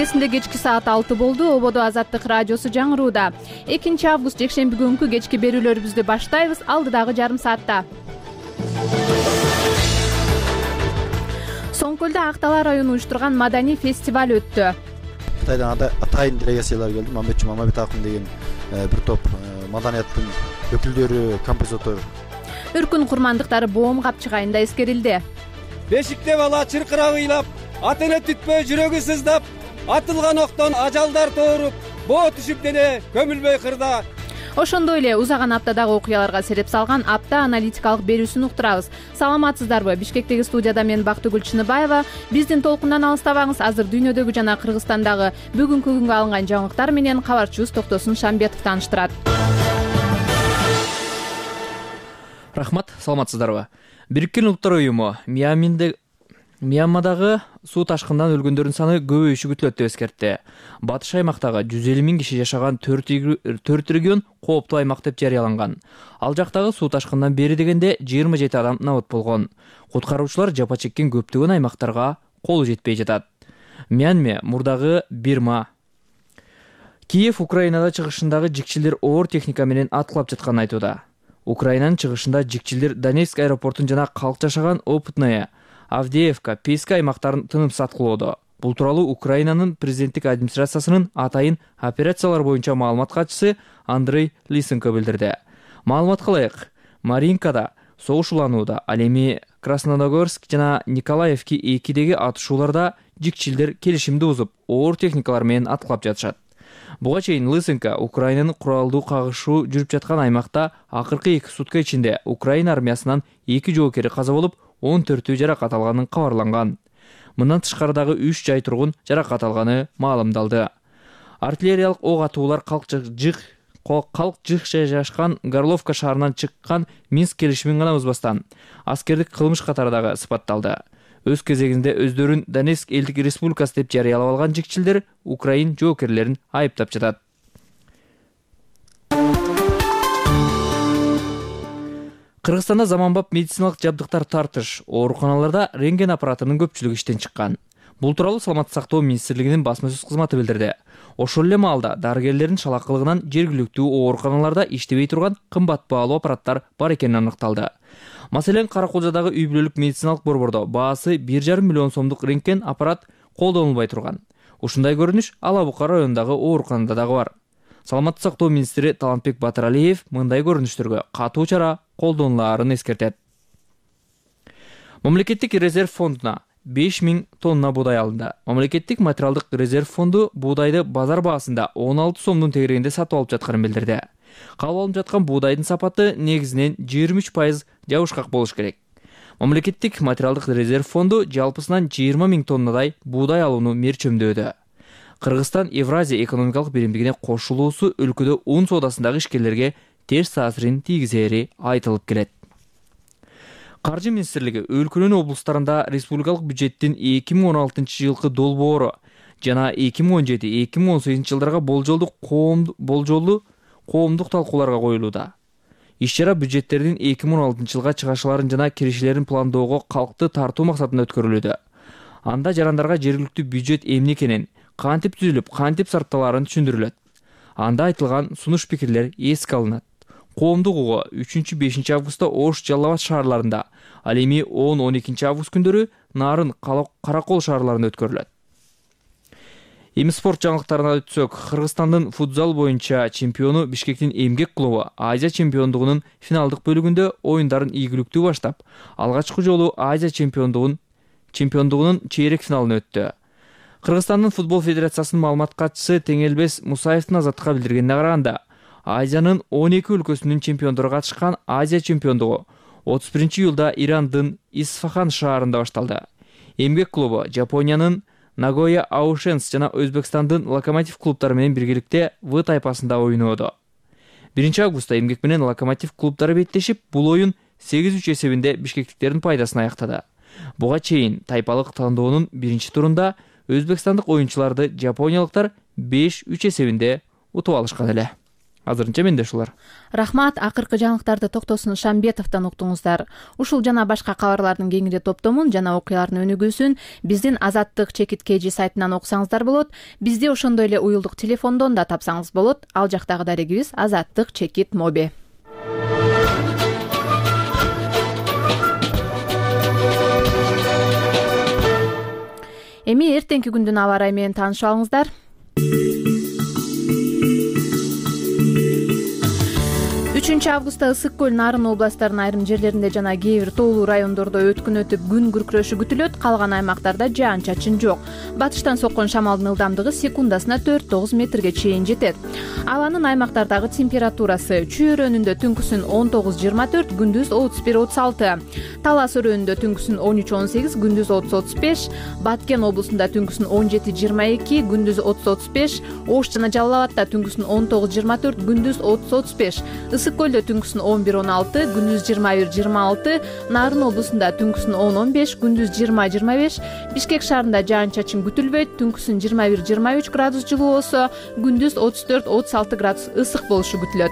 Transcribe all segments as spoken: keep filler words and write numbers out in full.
чегесинде кечки саат алты болду. Ободо Азаттык радиосу жаңырууда. экинчи август жекшемби күнкү кечки берүүлөрүбүздү баштайбыз. Алдыдагы жарым саатта Соң көлдө Актала району уюштурган маданий фестиваль өттү. Кытайдан атайын делегациялар келди. Мамбетчи Мамабет акын деген бир топ маданияттын өкүлдөрү, композитор. Үркүн курмандыктары боом капчыгайында эскерилди. Бешикте бала чыркырап ыйлап, ат эне түтпөй жүрөгү сыздап, атылган октон ажалдар тооруп, боо түшүп дене көмүлбөй кырда. Ошондой эле узаган аптадагы окуяларга сереп салган апта аналитикалык берүүсүн уктурабыз. Саламатсыздарбы? Бишкектеги студияда мен Бактыгүл Чыныбаева. Биздин толкундан алыстабаңыз. Азыр дүйнөдөгү жана Кыргызстандагы бүгүнкү күнгө алынган жаңылыктар менен кабарчыбыз Токтосун Шамбетов тааныштырат. Рахмат, саламатсыздарбы? Бириккен Улуттар уюму Мьянмадагы суу ташкынынан өлгөндөрдүн саны көбөйүшү күтүлөт деп эскертти. Батыш аймактагы жүз элүү миң киши жашаган төрт регион кооптуу аймак деп жарыяланган. Ал жактагы суу ташкынынан бери дегенде жыйырма жети адам набыт болгон. Куткаруучулар жапа чеккен көптөгөн аймактарга колу жетпей жатат. Мьянма, мурдагы Бирма. Киев Украинада чыгышындагы жикчилдер оор техника менен аткылап жатканын айтууда. Украинанын чыгышында жикчилдер Донецк аэропортун жана калк жашаган Опытная, Авдеевка, Песка аймактарын тынымсыз аткылоодо. Бул тууралуу Украинанын президенттик администрациясынын атайын операциялар боюнча маалымат катчысы Андрей Лисенко билдирди. Маалыматка ылайык, Маринкада согуш уланууда, ал эми Красногорск жана Николаевки экидеги атышууларда жикчилдер келишимди бузуп, оор техникалар менен аткылап жатышат. Буга чейин Лисенко Украинанын куралдуу кагышуу жүрүп жаткан аймакта акыркы эки сутка ичинде Украина армиясынан эки жоокери каза болуп, он төртү жаракат алганын кабарланган. Мындан тышкарыдагы үч жай тургун жаракат алганы маалымдалды. Артиллериялык ок атуулар калк жык калк жык жайгашкан Горловка шаарынан чыккан Минск келишимин гана бузбастан аскердик кылмыш катары дагы сыпатталды. Өз кезегинде өздөрүн Донецк элдик республикасы деп жарыялап алган жикчилдер Украин жоокерлерин айыптап жатат. Кыргызстанда заманбап медициналык жабдыктар тартыш, ооруканаларда рентген аппаратынын көпчүлүгү иштен чыккан. Бул тууралуу Саламаттык сактоо министрлигинин басма сөз кызматы билдирди. Ошол эле маалда дарыгерлердин шалакылыгынан жергиликтүү ооруканаларда иштебей турган кымбат баалуу аппараттар бар экени аныкталды. Маселен, Караколжадагы үй бүлөлүк медициналык борбордо баасы бир жарым миллион сомдук рентген аппарат колдонулбай турган. Ушундай көрүнүш Ала Бука районундагы ооруканада дагы бар. Саламаттык сактоо министри Талантбек Батыралиев мындай көрүнүштөргө катуу чара колдонулаарын эскертет. Мамлекеттик резерв фондуна беш миң тонна буудай алынды. Мамлекеттик материалдык резерв фонду буудайды базар баасында он алты сомдун тегерегинде сатып алып жатканын билдирди. Кабыл алынып жаткан буудайдын сапаты негизинен жыйырма үч пайыз жабышкак болуш керек. Мамлекеттик материалдык резерв фонду жалпысынан жыйырма миң тоннадай буудай алууну мерчемдөөдө. Кыргызстан Евразия экономикалык биримдигине кошулуусу өлкөдө un соодасындагы ишкерлерге терс таасирин тийгизери айтылып келет. Каржы министрлиги өлкөнүн облустарында республикалык бюджеттин эки миң он алтынчы жылкы долбоору жана эки миң он жети эки миң он сегизинчи жылдарга болжолдуу болжолдуу коомдук талкууларга коюлууда. Иш-чара бюджеттердин эки миң он алтынчы жылга чыгашыларын жана киришилерин пландоого калкты тартуу максатында өткөрүлүүдө. Анда жарандарга жергиликтүү бюджет эмне экенин, кантип түзүлүп, кантип сарпталарын түшүндүрүлөт. Анда айтылган сунуш пикирлер эске алынат. Коомдук угуу үчүнчү бешинчи августта Ош, Жалал Абад шаарларында, ал эми он он экинчи август күндөрү Нарын, Каракол шаарларында өткөрүлөт. Эми спорт жаңылыктарына өтсөк, Кыргызстандын футзал боюнча чемпиону Бишкектин Эмгек клубу Азия чемпиондугунун финалдык бөлүгүндө оюндарын ийгиликтүү баштап, алгачкы жолу Азия чемпиондугун чемпиондугунун чейрек финалына өттү. Кыргызстандын футбол федерациясынын маалымат катчысы Теңелбес Мусаевдин азаттыкка билдиргенине караганда, Азиянын он эки өлкөсүнүн чемпиондору катышкан Азия чемпиондугу отуз биринчи июлда Ирандын Исфахан шаарында башталды. Эмгек клубу Жапониянын Нагоя Аушенс жана Өзбекстандын Локомотив клубтары менен биргеликте В тайпасында ойноодо. биринчи августта Эмгек менен Локомотив клубтары беттешип, бул оюн сегиз үч эсебинде бишкектиктердин пайдасына аяктады. Буга чейин тайпалык тандоонун биринчи турунда өзбекстандык оюнчуларды жапониялыктар беш үч эсебинде утуп алышкан эле. азырынча менде ушулар. Рахмат. Акыркы жаңылыктарды Токтосун Шамбетовдон уктуңуздар. Ушул жана башка кабарлардын кеңири топтомун жана окуялардын өнүгүүсүн биздин Азаттык чекит кж сайтынан окусаңыздар болот. Бизди ошондой эле уюлдук телефондон да тапсаңыз болот. Ал жактагы дарегибиз Азаттык чекит моби. Эми эртеңки күндүн аба ырайы менен таанышып алыңыздар. үчүнчү августта Ысык көл, Нарын областтарынын айрым жерлеринде жана кээ бир тоолуу райондордо өткүн өтүп күн күркүрөшү күтүлөт. Калган аймактарда жаан-чачын жок. Батыштан соккон шамалдын ылдамдыгы секундасына төрт тогуз метрге чейин жетет. Абанын аймактардагы температурасы: Чүй өрөөнүндө түнкүсүн он тогуз жыйырма төрт, күндүз отуз бир отуз алты. Талас өрөөнүндө түнкүсүн он үч он сегиз, күндүз отуз отуз беш. Баткен облусунда түнкүсүн он жети жыйырма эки, күндүз отуз отуз беш. Ош жана Жалал Абадта түнкүсүн он тогуз жыйырма төрт, күндүз отуз отуз беш. Ысык көлдө түнкүсүн он бир он алты, күндүз жыйырма бир жыйырма алты. Нарын облусунда түнкүсүн он он беш, күндүз жыйырма жыйырма беш. Бишкек шаарында жаан-чачын күтүлбөйт. Түнкүсүн жыйырма бир жыйырма үч градус жылуу болсо, күндүз отуз төрт отуз алты градус ысык болушу күтүлөт.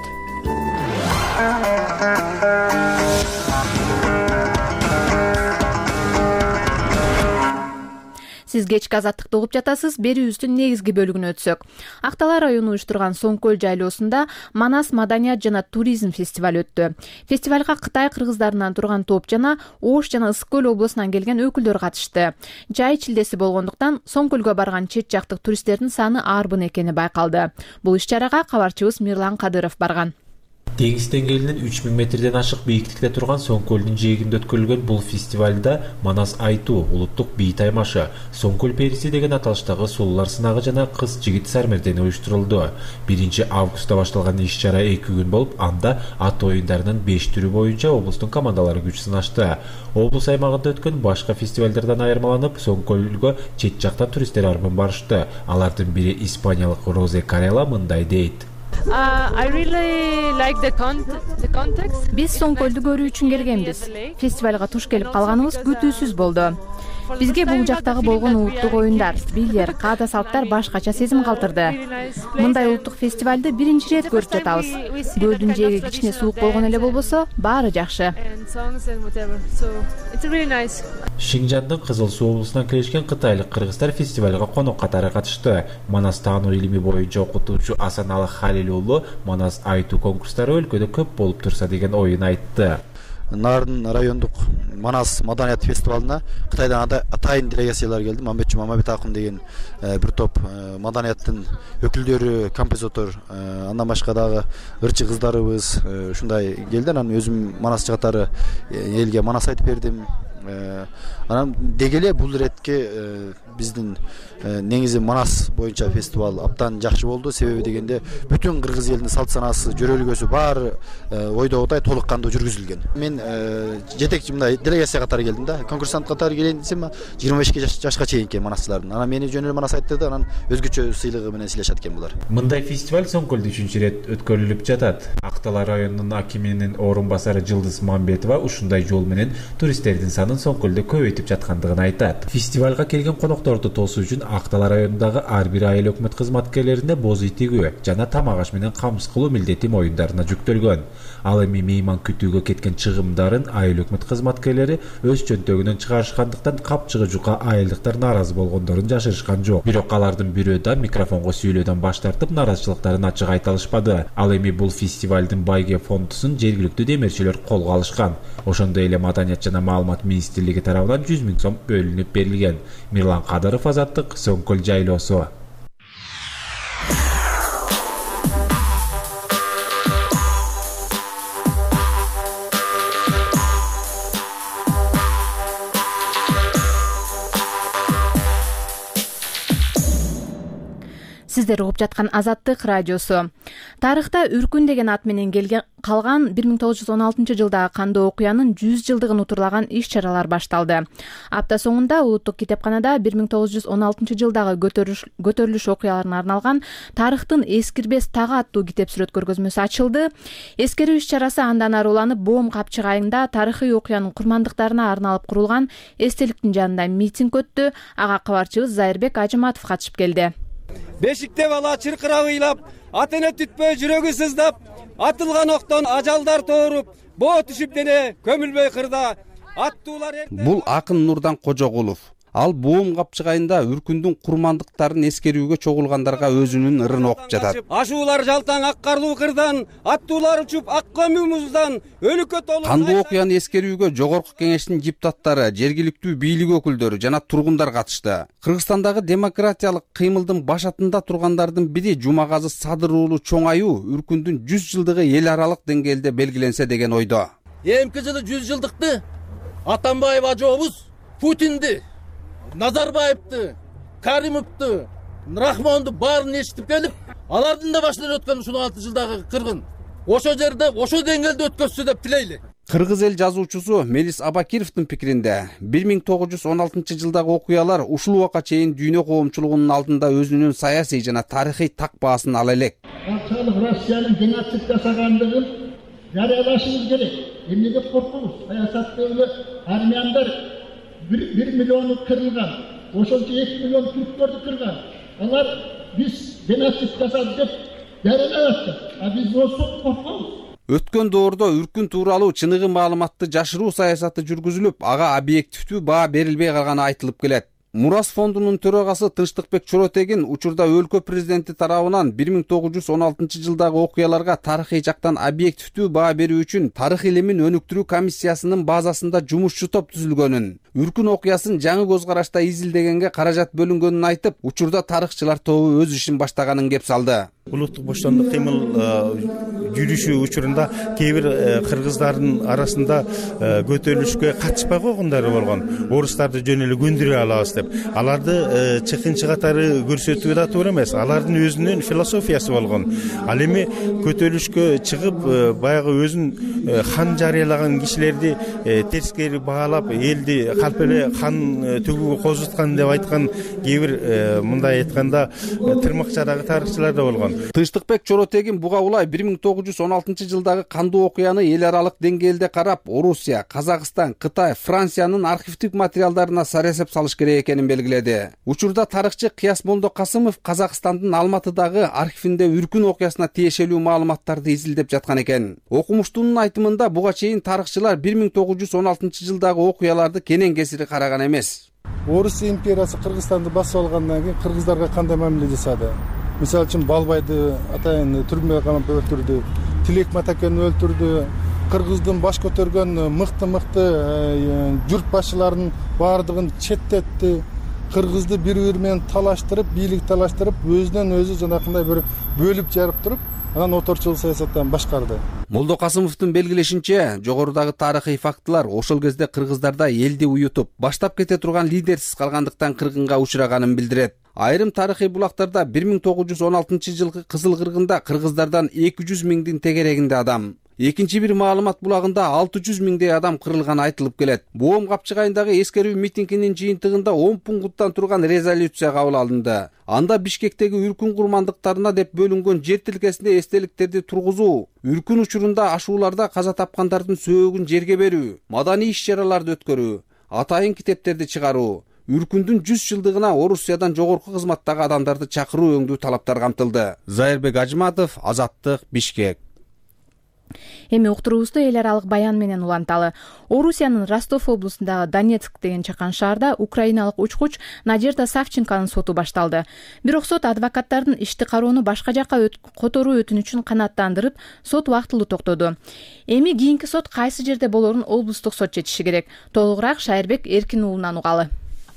Сиз кечки Азаттыкты угуп жатасыз. Берүүбүздүн негизги бөлүгүнө өтсөк. Актала району уюштурган Соң көл жайлоосунда Манас маданият жана туризм фестиваль өттү. Фестивалга Кытай кыргыздарынан турган топ жана Ош жана Ысык көл облусунан келген өкүлдөр катышты. Жай чилдеси болгондуктан Соң көлгө барган чет жактык туристтердин саны арбын экени байкалды. Бул иш-чарага кабарчыбыз Мирлан Кадыров барган. Деңиз деңгээлинен үч миң метрден ашык бийиктикте турган Соң көлдүн жээгинде өткөрүлгөн бул фестивалда Манас айтуу, улуттук бий таймашы, Соң көл периси деген аталыштагы сулуулар сынагы жана кыз-жигит сармердени уюштурулду. биринчи августта башталган иш-чара эки күн болуп, анда ат оюндарынын беш түрү боюнча облустун командалары күч сынашты. Облус аймагында өткөн башка фестивалдардан айырмаланып, Соң көлгө чет жактан туристтер арбын барышты. Алардын бири испаниялык Розе Карела мындай дейт. Биз Соң көлдү көрүү үчүн келгенбиз. Фестивалга туш келип калганыбыз күтүүсүз болду. Бизге бул жактагы болгон улуттук оюндар, бийлер, каада салттар башкача сезим калтырды. Мындай улуттук фестивалды биринчи ирет көрүп жатабыз. Көлдүн жээги кичине суук болгон эле болбосо, баары жакшы. Шинжандын Кызыл Суу облусунан келишкен кытайлык кыргыздар фестивалга конок катары катышты. Манас таануу илими боюнча окутуучу Асаналы Халил уулу Манас айтуу конкурстары өлкөдө көп болуп турса деген оюн айтты. Нарын райондук Манас маданият фестивалына Кытайдан атайын делегациялар келди. Мамбетчи Мамабет акын деген бир топ маданияттын өкүлдөрү, композитор, андан башка дагы ырчы кыздарыбыз ушундай келди. Анан өзүм Манас жыгаттары элге Манас айтып бердим. Анан дегеле бул иретке биздин негизи Манас боюнча фестиваль абдан жакшы болду. Себеби дегенде бүтүн кыргыз элинин салт санаасы, жөрөлгөсү баары ойдогудай толук кандуу жүргүзүлгөн. Мен жетекчи мындай делегация катары келдим да. Конкурсант катары келейин десем, жыйырма бешке жашка чейинки манасчылардын. Анан мени жөн эле Манас айттырды, анан өзгөчө сыйлыгы менен сыйлашат экен булар. Мындай фестиваль Соң көлдө үчүнчү ирет өткөрүлүп жатат. Актала районунун акиминин орун басары Жылдыз Мамбетова ушундай жол менен туристтердин санын Соң көлдө көбөйтүп жаткандыгын айтат. Фестивалга келген конокторду тосуу үчүн Актала районундагы ар бир айыл өкмөт кызматкерлерине боз ий тигүү жана тамак аш менен камсыз кылуу милдети моюндарына жүктөлгөн. Ал эми мейман күтүүгө кеткен чыгымдарын айыл өкмөт кызматкерлери өз чөнтөгүнөн чыгарышкандыктан капчыгы жука айылдыктар нааразы болгондорун жашырышкан жок. Бирок алардын бирөө да микрофонго сүйлөөдөн баш тартып наразычылыктарын ачык айта алышпады. Ал эми бул фестивалдын байге фондусун жергиликтүү демирчилер колго алышкан. Ошондой эле Маданият жана маалымат министрлиги тарабынан жүз миң сом бөлүнүп берилген. Мирлан Кадыров, Азаттык, Соң көл жайлоосу. Сиздер угуп жаткан Азаттык радиосу. Тарыхта Үркүн деген ат менен келген калган бир миң тогуз жүз он алтынчы жылдагы кандуу окуянын жүз жылдыгын утурлаган иш-чаралар башталды. Апта соңунда Улуттук китепканада бир миң тогуз жүз он алтынчы жылдагы көтөрүлүш окуяларына арналган Тарыхтын эскирбес тагы аттуу китеп сүрөт көргөзмөсү ачылды. Эскерүү иш-чарасы андан ары уланып, Боом Капчык айында тарыхый окуянын курмандыктарына арналып курулган эстеликтин жанында митинг өттү. Ага кабарчыбыз Зайырбек Ажыматов катышып келди. бешикте бала чыркырап ыйлап, ата эне түтпөй жүрөгү сыздап, атылган октон ажалдар тооруп, боо түшүп дене көмүлбөй кырда. Аттуулар Бул акын Нурдан Кожогулов. Ал боом капчыгайында үркүндүн курмандыктарын эскерүүгө чогулгандарга өзүнүн ырын окуп жатат. Ашуулар жалтаң ак карлуу кырдан, аттуулар учуп ак көмүү муздан, өлүккө толуп. Кандуу окуяны эскерүүгө жогорку кеңештин депутаттары, жергиликтүү бийлик өкүлдөрү жана тургундар катышты. Кыргызстандагы демократиялык кыймылдын башатында тургандардын бири Жумагазы Садыр уулу чоң аю үркүндүн жүз жылдыгы эл аралык деңгээлде белгиленсе деген ойдо. Эмки жылы жүз жылдыкты Атамбаев ажообуз Путинди, Назарбаевди, Каримовду, Рахмонду баарын эшитип келип, алардын да башынан өткөн ушул алты жылдагы кыргын ошо жерде, ошо деңгээлде өткөзсү деп тилейли. Кыргыз эл жазуучусу Мелис Абакировдун пикиринде бир миң тогуз жүз он алтынчы жылдагы окуялар ушул убакка чейин дүйнө коомчулугунун алдында өзүнүн саясий жана тарыхый так баасын ала элек. Кантчалык Россиянын геноцид жасагандыгын жарыялашыбыз керек. Эмнеге коркобуз? Саясатта эле армяндар bir milyonu kırılgan, oşonча iki milyon Türklerdi kırgan. Onlar biz genosit жасады деп жарыялап, а биз осо коркобуз. Өткөн доордо үркүн тууралуу чыныгы маалыматты жашыруу саясаты жүргүзүлүп, ага объективдүү баа берилбей калганы айтылып келет. Мурас фондунун төрагасы Тынчтыкбек Чоротегин учурда өлкө президенти тарабынан бир миң тогуз жүз он алтынчы жылдагы окуяларга тарыхый жактан объективдүү баа берүү үчүн тарых илимин өнүктүрүү комиссиясынын базасында жумушчу топ түзүлгөнүн, үркүн окуясын жаңы көз карашта изилдегенге каражат бөлүнгөнүн айтып, учурда тарыхчылар тобу өз ишин баштаганын кеп салды. Улуттук боштондук кыймыл жүрүшү учурунда кээ бир кыргыздардын арасында көтөрүлүшкө катышпай койгондору болгон. Орустарды жөн эле көндүрө алабыз деп. Аларды чыкынчы катары көрсөтүү да туура эмес. Алардын өзүнүн философиясы болгон. Ал эми көтөрүлүшкө чыгып, баягы өзүн хан жарыялаган кишилерди терскери баалап, элди калп эле хан төгүүгө козуткан деп айткан кээ бир мындай айтканда тырмакчадагы тарыхчылар да болгон. Тынчтыкбек Чоротегин буга улай бир миң тогуз жүз он алтынчы жылдагы кандуу окуяны эл аралык деңгээлде карап, Орусия, Казакстан, Кытай, Франциянын архивдик материалдарына саресеп салыш керек экенин белгиледи. Учурда тарыхчы Кыяс Молдокасымов Казакстандын Алматыдагы архивинде үркүн окуясына тиешелүү маалыматтарды изилдеп жаткан экен. Окумуштунун айтымында буга чейин тарыхчылар бир миң тогуз жүз он алтынчы жылдагы окуяларды кенен кесири караган эмес. Орус империясы Кыргызстанды басып алгандан кийин кыргыздарга кандай мамиле жасады? Мисалы үчүн Балбайды атайын түрмөгө камап өлтүрдү, Тилек Матакени өлтүрдү, кыргыздын баш көтөргөн мыкты-мыкты журт башчыларынын баардыгын четтетти, кыргызды бири-бири менен талаштырып, бийлик талаштырып, өзүнөн өзү жанакындай бир бөлүп жарып туруп, анан оторчул саясаттан башкарды. Молдокасымовдун белгилешинче, жогорудагы тарыхый фактылар ошол кезде кыргыздарда элди уютуп, баштап кете турган лидерсиз калгандыктан кыргынга учураганын билдирет. Айрым тарыхый булактарда бир миң тогуз жүз он алтынчы жылкы Кызыл кыргында кыргыздардан эки жүз миңдин тегерегинде адам, экинчи бир маалымат булагында алты жүз миңдей адам кырылганы айтылып келет. Боом капчыгайындагы эскерүү митингинин жыйынтыгында он пункттан турган резолюция кабыл алынды. Анда Бишкектеги үркүн курмандыктарына деп бөлүнгөн жер тилкесинде эстеликтерди тургузуу, үркүн учурунда ашууларда каза тапкандардын сөөгүн жерге берүү, маданий иш-чараларды өткөрүү, атайын китептерди чыгаруу, үркүндүн жүз жылдыгына Орусиядан жогорку кызматтагы адамдарды чакыруу өңдүү талаптар камтылды. Зайырбек Ажматов, Азаттык, Бишкек. Эми уктуруубузду эл аралык баян менен уланталы. Орусиянын Ростов облусундагы Донецк деген чакан шаарда украиналык учкуч Надежда Савченконун соту башталды. Бирок сот адвокаттардын ишти кароону башка жакка которуу өтүнүчүн канааттандырып, сот убактылуу токтоду. Эми кийинки сот кайсы жерде болорун облустук сот чечиши керек. Толугураак Шайырбек Эркин уулунан угалы.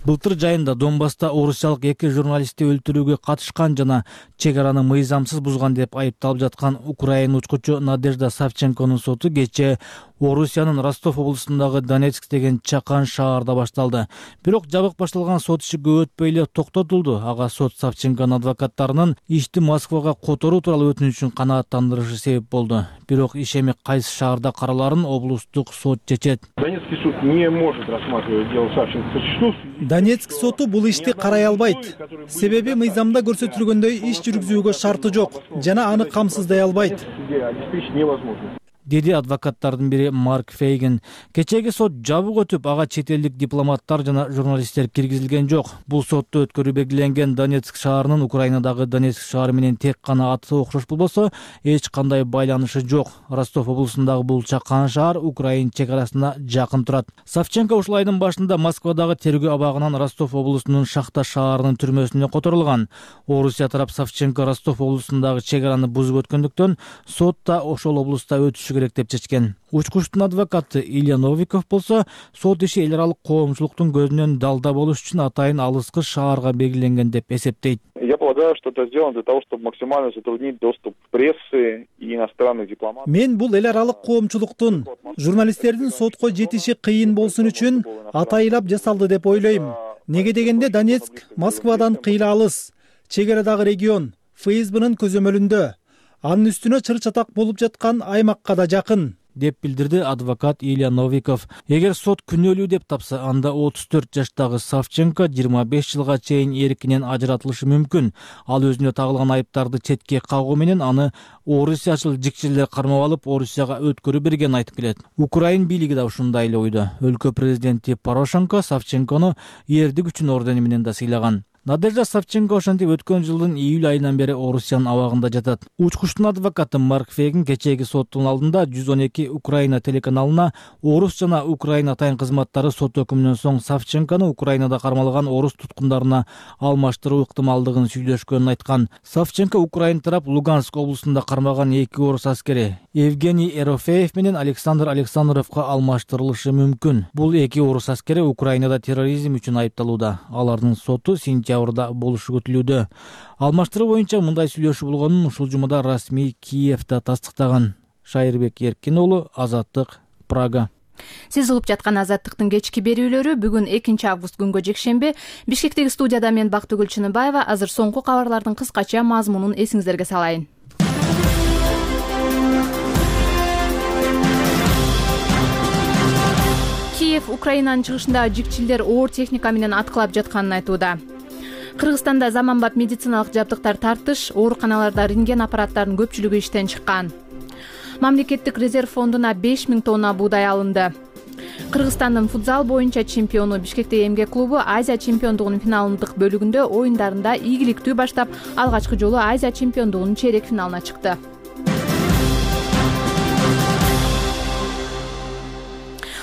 Былтыр жайында Донбасста орусиялык эки журналистти өлтүрүүгө катышкан жана чек араны мыйзамсыз бузган деп айыпталып жаткан украин учкучу Надежда Савченконун соту кечээ Орусиянын Ростов облусундагы Донецк деген чакан шаарда башталды. Бирок жабык башталган сот иши көп өтпөй эле токтотулду. Ага сот Савченконун адвокаттарынын ишти Москвага которуу тууралуу өтүнүчүн канааттандырышы себеп болду. Бирок иш эми кайсы шаарда караларын облустук сот чечет. Донецкий суд не может рассматривать дело Савченко. Донецк соту бул ишти карай албайт. Себеби мыйзамда көрсөтүлгөндөй иш жүргүзүүгө шарты жок жана аны камсыздай албайт. Обеспечить невозможно. деди адвокаттардын бири Марк Фейген. Кечеги сот жабык өтүп, ага чет элдик дипломаттар жана журналисттер киргизилген жок. Бул сотто өткөрүү белгиленген Донецк шаарынын Украинадагы Донецк шаары менен тек гана аты окшош болбосо, эч кандай байланышы жок. Ростов облусундагы бул чакан шаар Украин чек арасына жакын турат. Савченко ушул айдын башында Москвадагы тергөө абагынан Ростов облусунун Шахта шаарынын түрмөсүнө которулган. Орусия тарап Савченко Ростов облусундагы чек араны бузуп өткөндүктөн сот да ошол облуста өтүшү керек деп чечкен. Учкучтун адвокаты Илья Новиков болсо, сот иши эл аралык коомчулуктун көзүнөн далда болуш үчүн атайын алыскы шаарга белгиленген деп эсептейт. Я полагаю, что это сделано для того, чтобы максимально затруднить доступ прессы и иностранных дипломатов. Мен бул эл аралык коомчулуктун, журналисттердин сотко жетиши кыйын болсун үчүн атайылап жасалды деп ойлойм. Неге дегенде Донецк Москвадан кыйла алыс, чек арадагы регион, ФСБнын көзөмөлүндө. Анын үстүнө чыр-чатак болуп жаткан аймакка да жакын, деп билдирди адвокат Илья Новиков. Эгер сот күнөөлүү деп тапса, анда отуз төрт жаштагы Савченко жыйырма беш жылга чейин эркинен ажыратылышы мүмкүн. Ал өзүнө тагылган айыптарды четке кагуу менен аны орусиячыл жикчилер кармап алып, Орусияга өткөрүп берген айтып келет. Украин бийлиги да ушундай эле ойдо. Өлкө президенти Порошенко Савченкону эрдик үчүн ордени менен да сыйлаган. Надежда Савченко ошентип өткөн жылдын июль айынан бери Орусиянын абагында жатат. Учкучтун адвокаты Марк Фейген кечеги соттун алдында жүз он эки Украина телеканалына орус жана Украин атайын кызматтары сот өкүмүнөн соң Савченкону Украинада кармалган орус туткундарына алмаштыруу ыктымалдыгын сүйлөшкөнүн айткан. Савченко Украин тарап Луганск облусунда кармаган эки орус аскери Евгений Ерофеев менен Александр Александровго алмаштырылышы мүмкүн. Бул эки орус аскери Украинада терроризм үчүн айыпталууда. Алардын соту сентябрда болушу күтүлүүдө. Алмаштыруу боюнча мындай сүйлөшүү болгонун ушул жумада расмий Киевде тастыктаган. Шайырбек Эркин уулу, Азаттык, Прага. Сиз угуп жаткан Азаттыктын кечки берүүлөрү бүгүн экинчи август күнгө жекшемби. Бишкектеги студияда мен Бактыгүл Чыныбаева. Азыр соңку кабарлардын кыскача мазмунун эсиңиздерге салайын. Киев Украинанын чыгышындагы жикчилдер оор техника менен аткылап жатканын айтууда. Кыргызстанда заманбап медициналык жабдыктар тартыш, ооруканаларда рентген аппараттарынын көпчүлүгү иштен чыккан. Мамлекеттик резерв фондуна беш миң тонна буудай алынды. Кыргызстандын футзал боюнча чемпиону Бишкектеги эмгек клубу Азия чемпиондугунун финалдык бөлүгүндө оюндарында ийгиликтүү баштап, алгачкы жолу Азия чемпиондугунун чейрек финалына чыкты.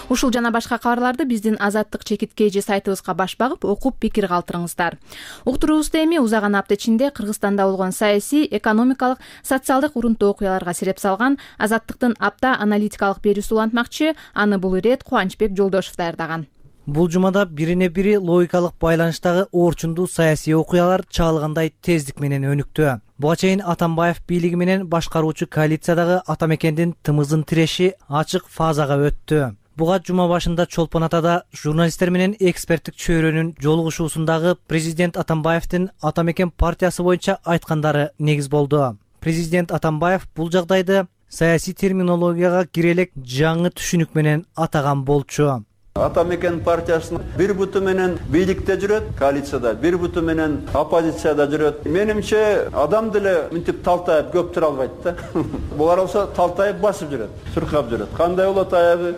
Ушул жана башка кабарларды биздин Азаттык чекит кей жи сайтыбызга баш багып, окуп пикир калтырыңыздар. Уктуруубузда эми узаган апта ичинде Кыргызстанда болгон саясий, экономикалык, социалдык урунттуу окуяларга сереп салган Азаттыктын апта аналитикалык берүүсү улантмакчы. Аны бул ирет Кубанычбек Жолдошев даярдаган. Бул жумада бирине бири логикалык байланыштагы орчундуу саясий окуялар чаалгандай тездик менен өнүктү. Буга чейин Атамбаев бийлиги менен башкаруучу коалициядагы Атамекендин тымызын тиреши ачык фазага өттү. Буга жума башында Чолпон Атада журналисттер менен эксперттик чөйрөнүн жолугушуусундагы президент Атамбаевдин Атамекен партиясы боюнча айткандары негиз болду. Президент Атамбаев бул жагдайды саясий терминологияга кирелек жаңы түшүнүк менен атаган болчу. Атамекен партиясынын бир буту менен бийликте жүрөт, коалицияда, бир буту менен оппозицияда жүрөт. Менимче адам деле мынтип талтайып көп тура албайт да. Булар болсо талтайып басып жүрөт, суркап жүрөт. Кандай болот аягы?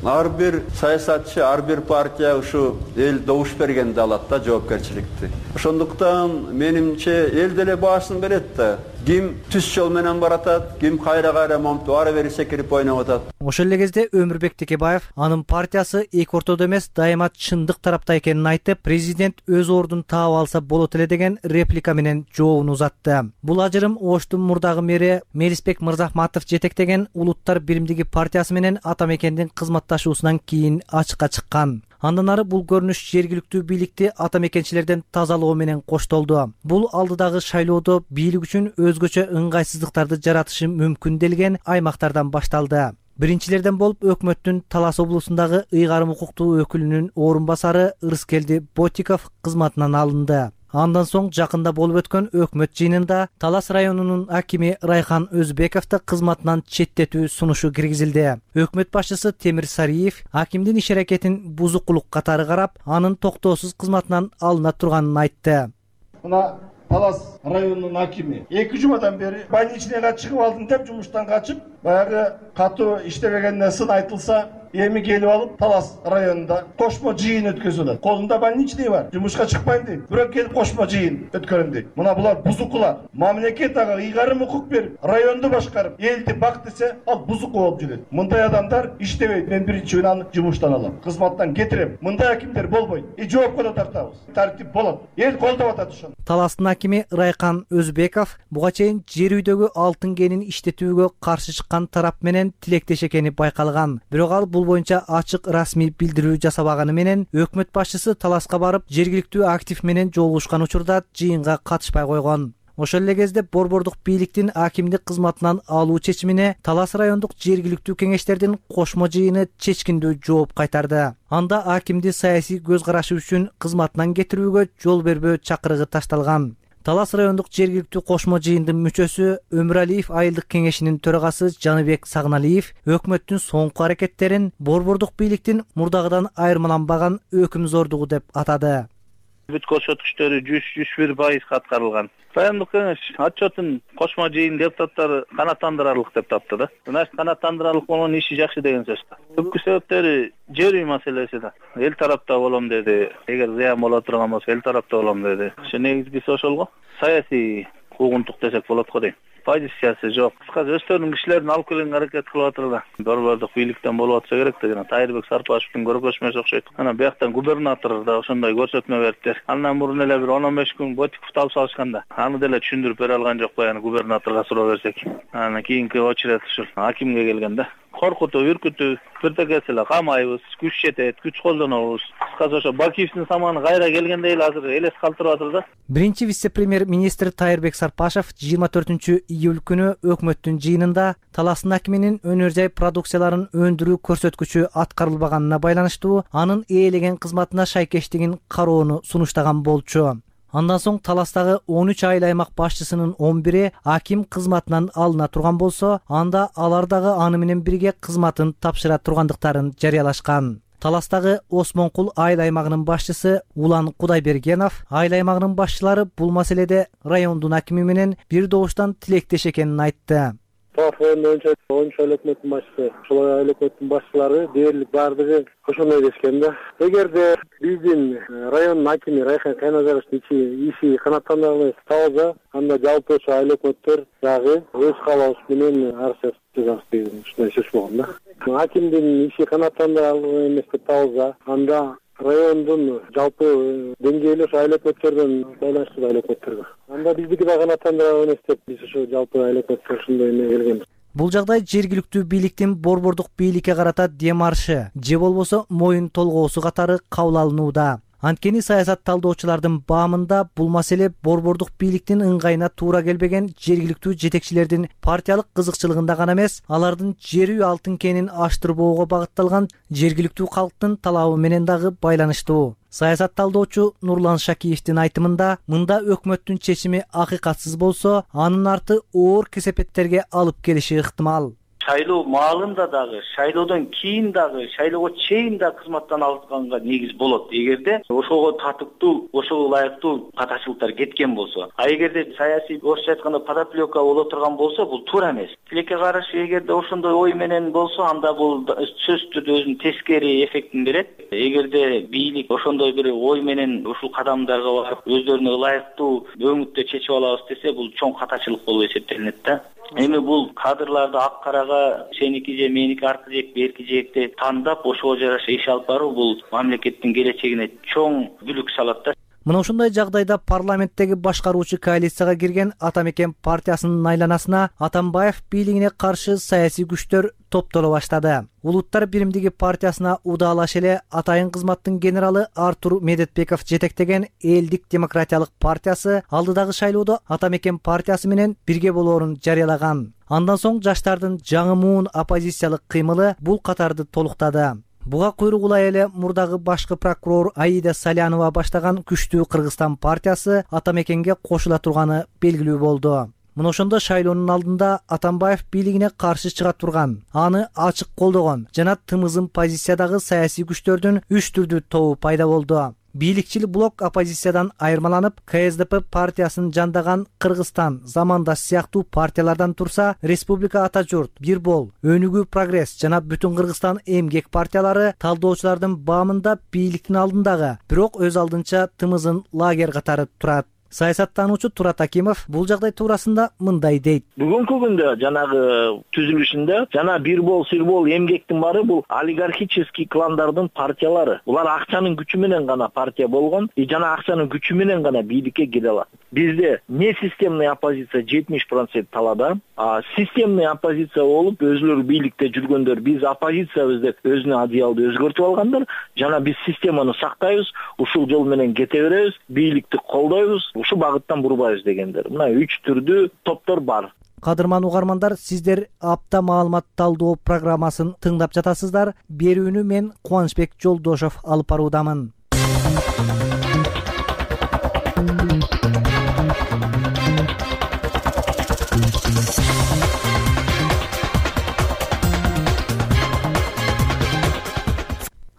Ар бир саясатчы, ар бир партия ушу эл добуш бергенде алат да жоопкерчиликти. Ошондуктан менимче эл деле баасын берет да. Ким түз жол менен баратат, ким кайра-кайра момтуп ары бери секирип ойноп атат. Ошол эле кезде Өмүрбек Текебаев анын партиясы эки ортодо эмес, дайыма чындык тарапта экенин айтып, президент өз ордун таап алса болот эле деген реплика менен жообун узатты. Бул ажырым Оштун мурдагы мэри Мелисбек Мырзахматов жетектеген Улуттар биримдиги партиясы менен Атамекендин кызматташуусунан кийин ачыкка чыккан. Андан ары бул көрүнүш жергиликтүү бийликти атамекенчилерден тазалоо менен коштолду. Бул алдыдагы шайлоодо бийлик үчүн өзгөчө ыңгайсыздыктарды жаратышы мүмкүн делген аймактардан башталды. Биринчилерден болуп өкмөттүн Талас облусундагы ыйгарым укуктуу өкүлүнүн орун басары Ырыскелди Ботиков кызматынан алынды. Андан соң жакында болуп өткөн өкмөт жыйынында Талас районунун акими Райхан Өзбековду кызматынан четтетүү сунушу киргизилди. Өкмөт башчысы Темир Сариев акимдин иш аракетин бузукулук катары карап, анын токтоосуз кызматынан алына турганын айтты. Мына Талас районунун акими эки жумадан бери больничныйга чыгып алдым деп жумуштан качып, баягы катуу иштебегенде сын айтылса, эми келип алып Талас районунда кошмо жыйын өткөзүлөт. Колунда больничный бар, жумушка чыкпайм дейт. Бирок келип кошмо жыйын өткөрөм дейт. Мына булар бузукулар. Мамлекет ага ыйгарым укук берип, районду башкарып, элди бак десе, ал бузуку болуп жүрөт. Мындай адамдар иштебейт. Мен биринчи күнү аны жумуштан алам. Кызматтан кетирем. Мындай акимдер болбойт. И жоопко да тартабыз. Тартип болот. Эл колдоп атат ошону. Таластын акими Райкан Өзбеков буга чейин жер үйдөгү алтын кенин иштетүүгө каршы чыккан тарап менен тилектеш экени байкалган. Бирок ал бул боюнча ачык расмий билдирүү жасабаганы менен өкмөт башчысы Таласка барып, жергиликтүү актив менен жолугушкан учурда жыйынга катышпай койгон. Ошол эле кезде борбордук бийликтин акимдик кызматынан алуу чечимине Талас райондук жергиликтүү кеңештердин кошмо жыйыны чечкиндүү жооп кайтарды. Анда акимди саясий көз карашы үчүн кызматынан кетирүүгө жол бербөө чакырыгы ташталган. Талас райондук жергиликтүү кошмо жыйындын мүчөсү Өмүралиев айылдык кеңешинин төрагасы Жаныбек Сагналиев өкмөттүн соңку аракеттерин борбордук бийликтин мурдагыдан айырмаланбаган өкүм зордугу деп атады. Бүт көрсөткүчтөрү жүз жүз бир пайыз аткарылган. Райондук кеңеш отчетун кошмо жыйын депутаттары канааттандырарлык деп тапты да. Значит, канааттандырарлык болгон иши жакшы деген сөз. Түпкү себептери жер үй маселеси да. Эл тарапта болом деди. Эгер зыян боло турган болсо эл тарапта болом деди. Ошо негизгиси ошол го. Саясий куугунтук десек болот го дейм. Позициясы жок. Кыскасы өздөрүнүн кишилерин алып келгенге аракет кылып атыр да. Борбордук бийликтен болуп атса керек да. Жана Тайырбек Сарпашевдин көргөзмөсү окшойт. Анан бияктан губернатор да ошондой көрсөтмө бериптир. Андан мурун эле бир он он беш күн Ботиковду алып салышканда, аны деле түшүндүрүп бере алган жок баягы губернаторго суроо берсек. Анан кийинки очередь ушул акимге келген да. Коркутуу, үркүтүү, бирдекеси эле камайбыз, күч жетет, күч колдонобуз. Кыскасы ошо Бакиевдин саманы кайра келгендей эле азыр элес калтырып атыр да. Биринчи вице-премьер-министр Тайырбек Сарпашев жыйырма төртүнчү июль күнү өкмөттүн жыйынында Таластын акиминин өнөр жай продукцияларын өндүрүү көрсөткүчү аткарылбаганына байланыштуу анын ээлеген кызматына шайкештигин кароону сунуштаган болчу. Андан соң Таластагы он үч айыл аймак башчысынын он бири аким кызматынан алына турган болсо, анда алар дагы аны менен бирге кызматын тапшыра тургандыктарын жарыялашкан. Таластагы Осмонкул айыл аймагынын башчысы Улан Кудайбергенов айыл аймагынын башчылары бул маселеде райондун акими менен бир добуштан тилектеш экенин айтты. Тофон боюнча он үч айыл өкмөттүн башчысы, ошол айыл өкмөттүн башчылары дээрлик баардыгы ошондой дешкен да. Эгерде биздин райондун акими Райхан Кайназаровдун иши канааттандырылбай калса, анда жалпы ошо айыл өкмөттөр дагы өз каалообуз менен арыз жазабыз деген ушундай сөз болгон да. Акимдин иши канааттандырылбай эмес деп табылса, анда райондун жалпы деңгээли ошо айыл өкмөттөрдөн байланыштуу айыл өкмөттөргө. Анда биздики да канааттандырылбай эмес деп биз ошо жалпы айыл өкмөттөр ушундай эме келгенбиз. Бул жагдай жергиликтүү бийликтин борбордук бийликке карата демаршы же болбосо моюн толгоосу катары кабыл алынууда. Анткени саясат талдоочулардын баамында бул маселе борбордук бийликтин ыңгайына туура келбеген жергиликтүү жетекчилердин партиялык кызыкчылыгында гана эмес, алардын жер үй алтын кенин аштырбоого багытталган жергиликтүү калктын талабы менен дагы байланыштуу. Саясат талдоочу Нурлан Шакиевдин айтымында, мында өкмөттүн чечими акыйкатсыз болсо, анын арты оор кесепеттерге алып келиши ыктымал. Шайлоо маалында дагы, шайлоодон кийин дагы, шайлоого чейин да кызматтан алынганга негиз болот. Эгерде ошого татыктуу, ошого ылайыктуу катачылыктар кеткен болсо. А эгерде саясий орусча айтканда подоплека боло турган болсо, бул туура эмес. Тилекке каршы эгерде ошондой ой менен болсо, анда бул сөзсүз түрдө өзүнүн тескери эффектин берет. Эгерде бийлик ошондой бир ой менен ушул кадамдарга барып, өздөрүнө ылайыктуу өңүттө чечип алабыз десе, бул чоң катачылык болуп эсептелинет да. Эми бул кадрларды ак карага сеники же меники аркы жек берки жекти тандап ошого жараша иш алып баруу бул мамлекеттин келечегине чоң бүлүк салат да. Мына ушундай жагдайда парламенттеги башкаруучу коалицияга кирген Атамекен партиясынын айланасына Атамбаев бийлигине каршы саясий күчтөр топтоло баштады. Улуттар биримдиги партиясына удаалаш эле атайын кызматтын генералы Артур Медетбеков жетектеген Элдик демократиялык партиясы алдыдагы шайлоодо Атамекен партиясы менен бирге болоорун жарыялаган. Андан соң жаштардын жаңы муун оппозициялык кыймылы бул катарды толуктады. Буга куйругулай эле мурдагы башкы прокурор Аида Салянова баштаган күчтүү Кыргызстан партиясы Атамекенге кошула турганы белгилүү болду. Мына ошондо шайлоонун алдында Атамбаев бийлигине каршы чыга турган, аны ачык колдогон жана тымызын позициядагы саясий күчтөрдүн үч түрдүү тобу пайда болду. бийликчил блок оппозициядан айырмаланып, ка эс дэ пэ партиясын жандаган Кыргызстан, Замандаш сыяктуу партиялардан турса, Республика Ата журт, Бирбол, Өнүгүү Прогресс жана Бүтүн Кыргызстан эмгек партиялары талдоочулардын баамында бийликтин алдындагы, бирок өз алдынча тымызын лагерь катары турат. Саясаттануучу Турат Акимов бул жагдай туурасында мындай дейт. Бүгүнкү күндө жанагы түзүлүшүндө жана Бирбол, Сирбол, эмгектин баары бул олигархический кландардын партиялары. Булар акчанын күчү менен гана партия болгон, и жана акчанын күчү менен гана бийликке кире алат. Бизде не системный оппозиция жетимиш процент талаада, а системный оппозиция болуп өзүлөрү бийликте жүргөндөр, биз оппозициябыз деп өзүнө одеялды өзгөртүп алгандар, жана биз системаны сактайбыз, ушул жол менен кете беребиз, бийликти колдойбуз, ушу багыттан бурбайбыз дегендер. Мына үч түрдүү топтор бар. Кадырман угармандар, сиздер апта маалымат талдоо программасын тыңдап жатасыздар. Берүүнү мен Кубанычбек Жолдошов алып баруудамын.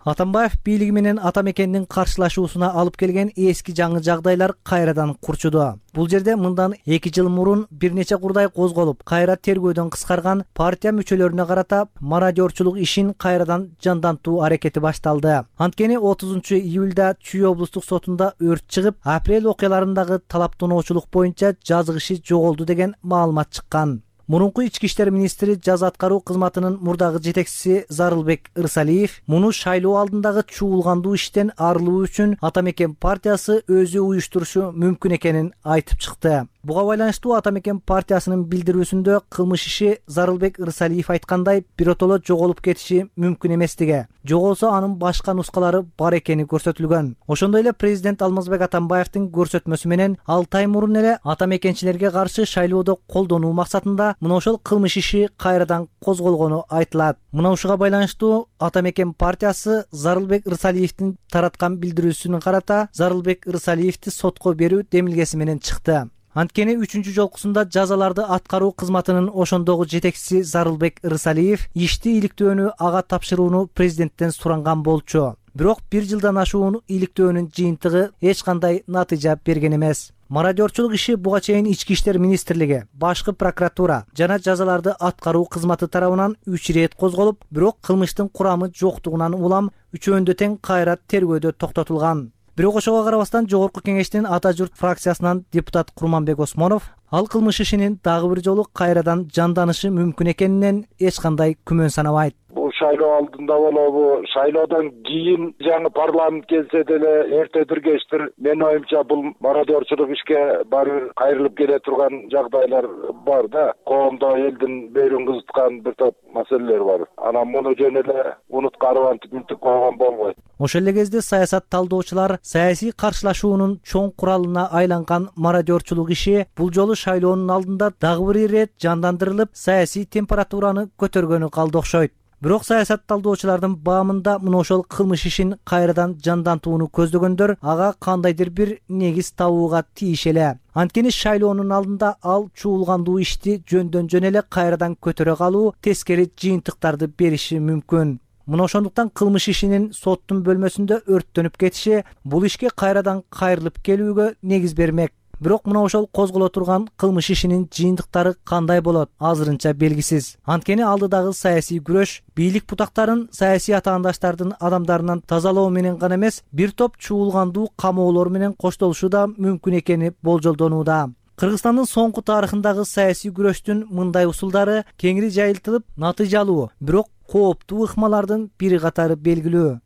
Атамбаев бийлиги менен ата мекендин каршылашуусуна алып келген эски жаңы жагдайлар кайрадан курчуду. Бул жерде мындан эки жыл мурун бир нече курдай козголуп, кайра тергөөдөн кыскарган партия мүчөлөрүнө карата мародерчулук ишин кайрадан жандантуу аракети башталды. Анткени отузунчу июлда Чүй облустук сотунда өрт чыгып, апрель окуяларындагы талаптоочулук боюнча жазык иши жоголду деген маалымат чыккан. Мурунку ички иштер министри жаза аткаруу кызматынын мурдагы жетекчиси Зарылбек Ырсалиев муну шайлоо алдындагы чуулгандуу иштен арылуу үчүн Ата мекен партиясы өзү уюштурушу мүмкүн экенин айтып чыкты. Буга байланыштуу Ата мекен партиясынын билдирүүсүндө кылмыш иши Зарылбек Ырсалиев айткандай биротоло жоголуп кетиши мүмкүн эместиги, жоголсо анын башка нускалары бар экени көрсөтүлгөн. Ошондой эле президент Алмазбек Атамбаевдин көрсөтмөсү менен алты ай мурун эле ата мекенчилерге каршы шайлоодо колдонуу максатында мына ошол кылмыш иши кайрадан козголгону айтылат. Мына ушуга байланыштуу Ата мекен партиясы Зарылбек Ырсалиевдин тараткан билдирүүсүнө карата Зарылбек Ырсалиевди сотко берүү демилгеси менен чыкты. Анткени үчүнчү жолкусунда жазаларды аткаруу кызматынын ошондогу жетекчиси Зарылбек Ырсалиев ишти иликтөөнү ага тапшырууну президенттен суранган болчу. Бирок бир жылдан ашуун иликтөөнүн жыйынтыгы эч кандай натыйжа берген эмес. Мародерчулук иши буга чейин ички иштер министрлиги, башкы прокуратура жана жазаларды аткаруу кызматы тарабынан үч ирет козголуп, бирок кылмыштын курамы жоктугунан улам үчөөндө тең кайра тергөөдө токтотулган. Бирок ошого карабастан Жогорку кеңештин Ата журт фракциясынан депутат Курманбек Осмонов ал кылмыш ишинин дагы бир жолу кайрадан жанданышы мүмкүн экенинен эч кандай күмөн санабайт. Бул шайлоо алдында болобу, шайлоодон кийин жаңы парламент келсе деле эртедир кечтир менин оюмча бул мародерчулук ишке баары кайрылып келе турган жагдайлар бар да. Коомдо элдин берүүн кызыткан бир топ маселелер бар. Анан муну жөн эле унуткарып антип мынтип койгон болбойт. Ошол эле кезде саясат талдоочулар саясий каршылашуунун чоң куралына айланган мародерчулук иши бул жолу шайлоонун алдында дагы бир ирет жандандырылып, саясий температураны көтөргөнү калды окшойт. Бирок саясат талдоочулардын баамында мына ошол кылмыш ишин кайрадан жандантууну көздөгөндөр ага кандайдыр бир негиз табууга тийиш эле. Анткени шайлоонун алдында ал чуулгандуу ишти жөндөн жөн эле кайрадан көтөрө калуу тескери жыйынтыктарды бериши мүмкүн. Мына ошондуктан кылмыш ишинин соттун бөлмөсүндө өрттөнүп кетиши бул ишке кайрадан кайрылып келүүгө негиз бермек. Бирок мына ошол козголо турган кылмыш ишинин жыйынтыктары кандай болот азырынча белгисиз. Анткени алдыдагы саясий күрөш бийлик бутактарын саясий атаандаштардын адамдарынан тазалоо менен гана эмес, бир топ чуулгандуу камоолор менен коштолушу да мүмкүн экени болжолдонууда. Кыргызстандын соңку тарыхындагы саясий күрөштүн мындай усулдары кеңири жайылтылып, натыйжалуу, бирок кооптуу ыкмалардын бири катары белгилүү.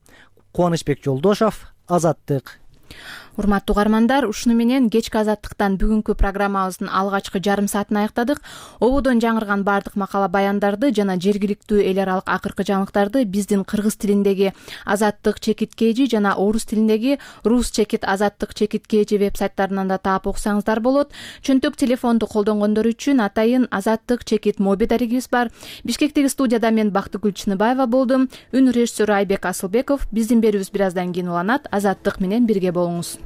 Кубанычбек Жолдошов, Азаттык. Урматтуу угармандар, ушуну менен кечки Азаттыктан бүгүнкү программабыздын алгачкы жарым саатын аяктадык. Ободон жаңырган бардык макала баяндарды жана жергиликтүү эл аралык акыркы жаңылыктарды биздин кыргыз тилиндеги Азаттык чекит kg жана орус тилиндеги Рус чекит Азаттык чекит kg веб сайттарынан да таап окусаңыздар болот. Чөнтөк телефонду колдонгондор үчүн атайын Азаттык чекит моби дарегибиз бар. Бишкектеги студияда мен Бактыгүл Чыныбаева болдум. Үн режиссеру Айбек Асылбеков. Биздин берүүбүз бир аздан кийин уланат. Азаттык менен бирге болуңуз.